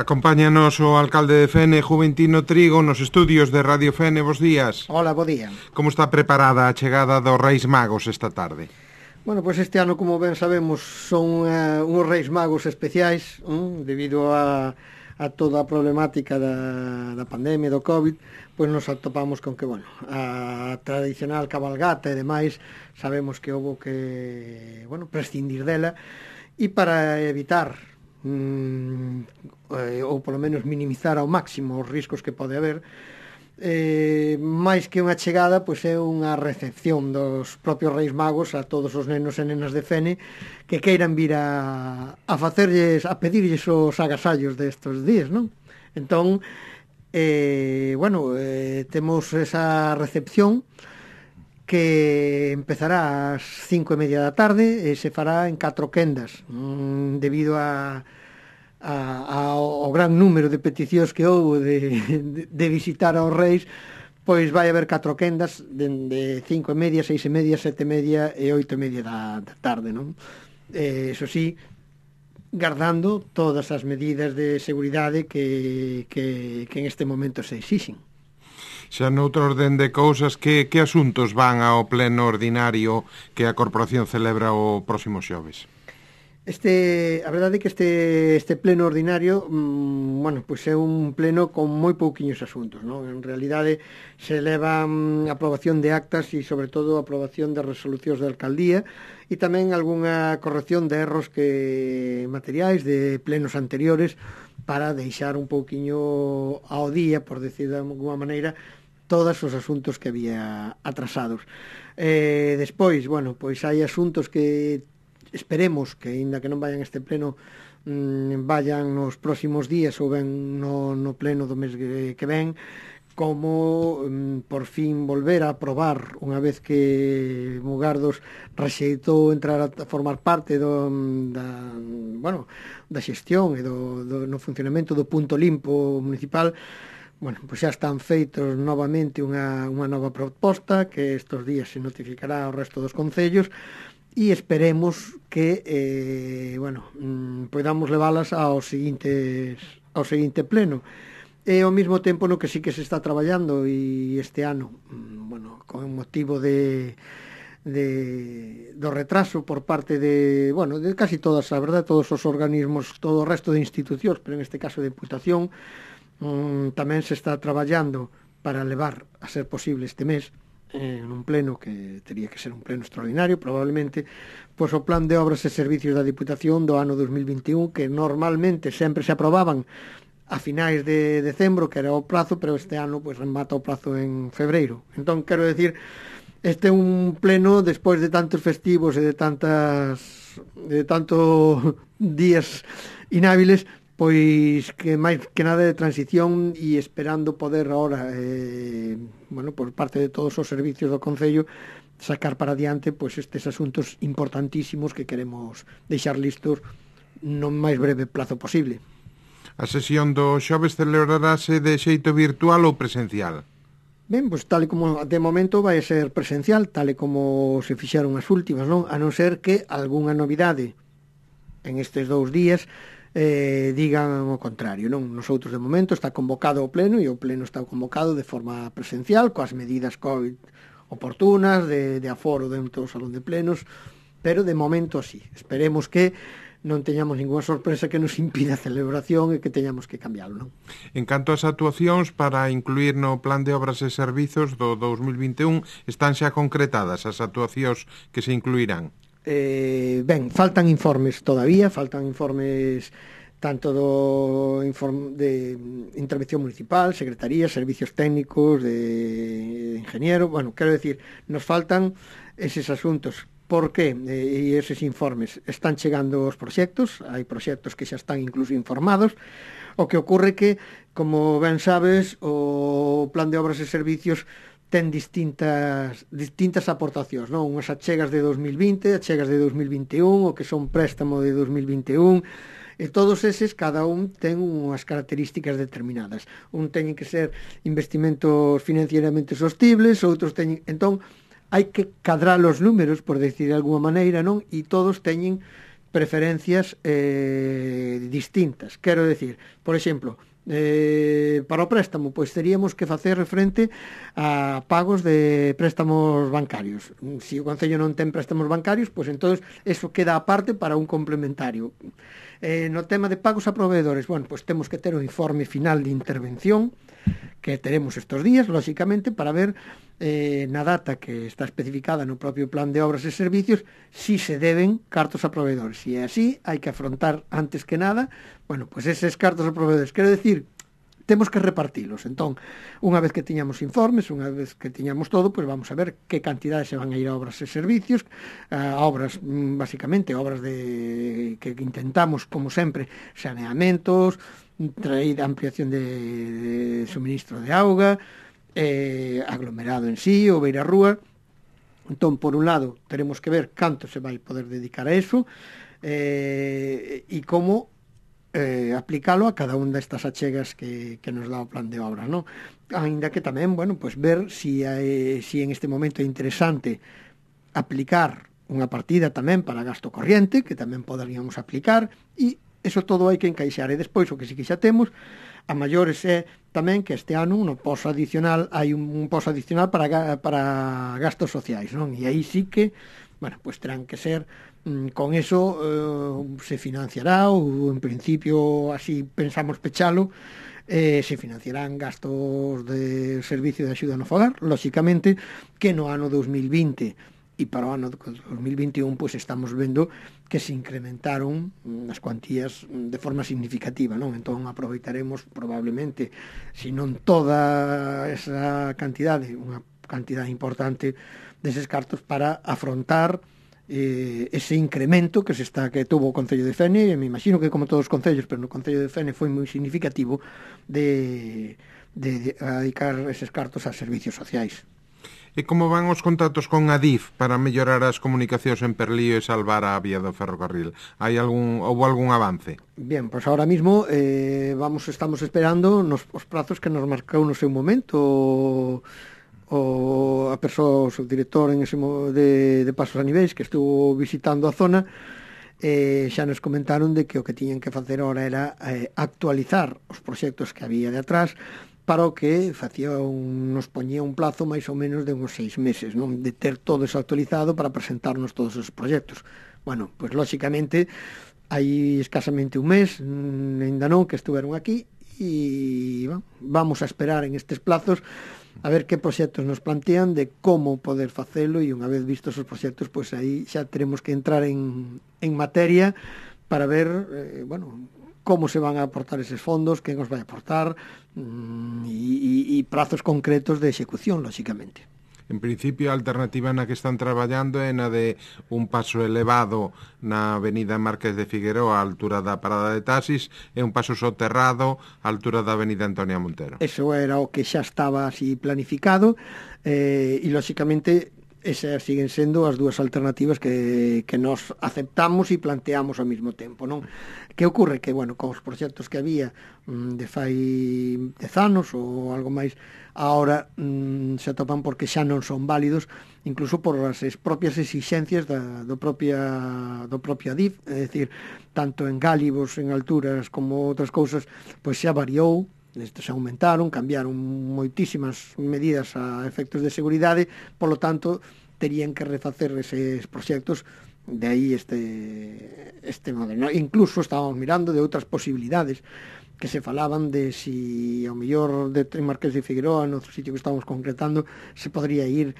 Acompáñanos o alcalde de Fene, Juventino Trigo, nos estudios de Radio Fene. Bos días. Hola, bo día. Como está preparada a chegada dos Reis Magos esta tarde? Bueno, pois este ano, como ben sabemos, son uns Reis Magos especiais, debido a toda a problemática da pandemia, do COVID, pois nos atopamos con que, bueno, a tradicional cabalgata e demais, sabemos que houve que, bueno, prescindir dela, e para evitar ou polo menos minimizar ao máximo os riscos que pode haber, máis que unha chegada, pois é unha recepción dos propios Reis Magos a todos os nenos e nenas de Fene que queiran vir a pedirlles os agasallos destes días, non? Entón, temos esa recepción que empezará ás 5:30 da tarde e se fará en 4 quendas, debido ao gran número de peticións que houve de visitar aos Reis, pois vai haber 4 quendas de 5:30, 6:30, 7:30 e 8:30 da tarde, non? Eso sí, guardando todas as medidas de seguridade que en este momento se exixen. Xa noutro orden de cousas, que asuntos van ao pleno ordinario que a Corporación celebra o próximo xoves? A verdade é que este pleno ordinario, pois é un pleno con moi pouquiños asuntos, non? En realidade se leva a aprobación de actas e, sobre todo, a aprobación de resolucións da alcaldía e tamén algunha corrección de erros materiais de plenos anteriores para deixar un pouquiño ao día, por decir de alguma maneira, todos os asuntos que había atrasados. Despois, pois hai asuntos que esperemos que, aínda que non vayan este pleno, vayan nos próximos días ou ben no pleno do mes que ven, como por fin volver a aprobar, unha vez que Mugardos rexeitou entrar a formar parte da xestión e no funcionamento do punto limpo municipal. Pois xa están feitos novamente unha nova proposta que estes días se notificará ao resto dos concellos e esperemos que podamos leválas ao seguinte pleno. E ao mesmo tempo no que sí que se está traballando, e este ano, con motivo do retraso por parte de casi todas, a verdade, todos os organismos, todo o resto de institucións, pero en este caso de Diputación, tamén se está traballando para levar a ser posible este mes en un pleno que tería que ser un pleno extraordinario probablemente, pois o plan de obras e servicios da Diputación do ano 2021, que normalmente sempre se aprobaban a finais de decembro, que era o prazo, pero este ano pois remata o prazo en febreiro. Entón, quero decir, este é un pleno despois de tantos festivos e de tantos días inhábiles, pois que máis que nada de transición, e esperando poder agora, por parte de todos os servicios do Concello, sacar para adiante pois estes asuntos importantísimos que queremos deixar listos no máis breve plazo posible. A sesión do xoves celebrarase de xeito virtual ou presencial? Ben, pois tal e como de momento vai ser presencial, tal e como se fixeron as últimas, non? A non ser que algunha novidade en estes 2 días digan o contrario, non? Nosotros de momento está convocado o pleno, e o pleno está convocado de forma presencial, coas medidas COVID oportunas de aforo dentro do salón de plenos, pero de momento así. Esperemos que non teñamos ninguna sorpresa que nos impida a celebración e que teñamos que cambiarlo, non? En canto ás actuacións para incluir no plan de obras e servizos do 2021, están xa concretadas as actuacións que se incluirán? Faltan informes todavía, tanto de intervención municipal, secretaría, servicios técnicos, de ingeniero, quero decir, nos faltan eses asuntos. Por que? E eses informes están chegando os proxectos, hai proxectos que xa están incluso informados. O que ocorre que, como ben sabes, o plan de obras e servicios ten distintas aportacións, non? Unhas achegas de 2020, achegas de 2021, o que son préstamo de 2021, e todos eses, cada un ten unhas características determinadas. Un teñen que ser investimentos financieramente sostibles, outros teñen... Entón, hai que cadrar os números, por decir de alguma maneira, non? E todos teñen preferencias distintas. Quero decir, por exemplo, para o préstamo, pois teríamos que facer frente a pagos de préstamos bancarios. Se o Concello non ten préstamos bancarios, pois entón eso queda aparte para un complementario. No tema de pagos a proveedores, bueno, pois temos que ter o informe final de intervención que teremos estes días, lóxicamente, para ver na data que está especificada no propio plan de obras e servicios si se deben cartos a proveedores. Se é así, hai que afrontar antes que nada, bueno, pois eses cartos a proveedores. Quero decir, temos que repartilos. Entón, unha vez que tiñamos informes, unha vez que tiñamos todo, pois vamos a ver que cantidades se van a ir a obras e servicios, a obras, basicamente, obras que intentamos, como sempre, saneamentos, traída ampliación de suministro de auga, aglomerado en sí, ou beirarrúa. Entón, por un lado, teremos que ver canto se vai poder dedicar a eso e como aplicalo a cada unha destas achegas que nos dá o plan de obras, non? Ainda que tamén, bueno, pues ver si en este momento é interesante aplicar unha partida tamén para gasto corriente, que tamén poderíamos aplicar, e eso todo hai que encaixar. E despois, o que sí que xa temos, a maiores é tamén que este ano no poso adicional hai un poso adicional para gastos sociais, non? E aí sí que, bueno, pues terán que ser con eso se financiará, ou en principio así pensamos pechalo, se financiarán gastos de servicio de axuda no fogar, lóxicamente que no ano 2020 e para o ano 2021 pois estamos vendo que se incrementaron as cuantías de forma significativa, non? Entón aproveitaremos probablemente, se non toda esa cantidade, unha cantidade importante deses cartos para afrontar ese incremento que tuvo o Concello de Fene, e me imagino que como todos os concellos, pero no Concello de Fene foi moi significativo de dedicar eses cartos a servicios sociais. E como van os contactos con Adif para mellorar as comunicacións en Perlío e salvar a vía do ferrocarril? Houbo algún avance? Bien, pois ahora mismo estamos esperando os prazos que nos marcou no seu momento a persoa, o subdirector de Pasos a Niveis, que estuvo visitando a zona, xa nos comentaron de que o que tiñan que facer ahora era actualizar os proxectos que había de atrás, para o que nos poñía un plazo máis ou menos de uns 6 meses, non? De ter todo eso actualizado para presentarnos todos os proxectos. Bueno, pois lóxicamente hai escasamente un mes, ainda non, que estuveron aquí, e vamos a esperar en estes plazos a ver que proxectos nos plantean de como poder facelo, e unha vez vistos os proxectos, pois aí xa teremos que entrar en materia para ver, como se van a aportar eses fondos, quen os vai aportar, e prazos concretos de execución, lóxicamente. En principio, a alternativa na que están traballando é na de un paso elevado na avenida Marqués de Figueroa, a altura da parada de taxis, e un paso soterrado a altura da avenida Antonia Montero. Eso era o que xa estaba así planificado, e lóxicamente esas siguen sendo as dúas alternativas que nos aceptamos e planteamos ao mesmo tempo, non? Que ocorre? Que, cos proxectos que había de fai 10 anos ou algo máis, ahora se atopan porque xa non son válidos, incluso por as propias exixencias do propio Adif, é dicir, tanto en gálivos, en alturas, como outras cousas, pois xa variou. Estes aumentaron, cambiaron moitísimas medidas a efectos de seguridade, polo tanto, terían que refacer eses proxectos, de aí este modelo. Incluso estábamos mirando de outras posibilidades, que se falaban de si ao mellor de Marqués de Figueroa, no outro sitio que estábamos concretando, se podría ir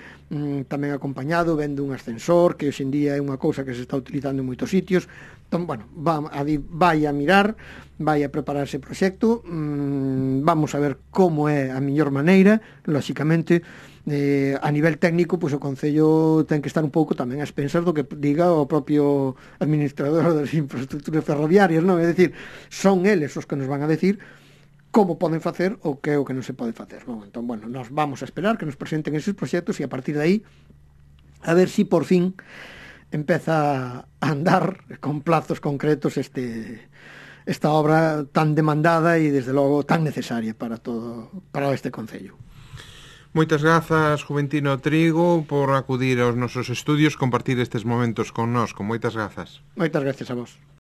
tamén acompañado, vendo un ascensor, que hoxe en día é unha cousa que se está utilizando en moitos sitios. Entón, vai a mirar, vai a preparar ese proxecto, vamos a ver como é a mellor maneira, lóxicamente, a nivel técnico, pois o Concello ten que estar un pouco tamén a expensas do que diga o propio administrador das infraestructuras ferroviarias, non? É dicir, son eles os que nos van a decir como poden facer o que non se pode facer, non? Entón, nos vamos a esperar que nos presenten esos proxectos e a partir de aí a ver si por fin empeza a andar con plazos concretos esta obra tan demandada e desde logo tan necesaria para este Concello. Moitas grazas, Juventino Trigo, por acudir aos nosos estudios, compartir estes momentos con nós, con moitas grazas. Moitas gracias a vos.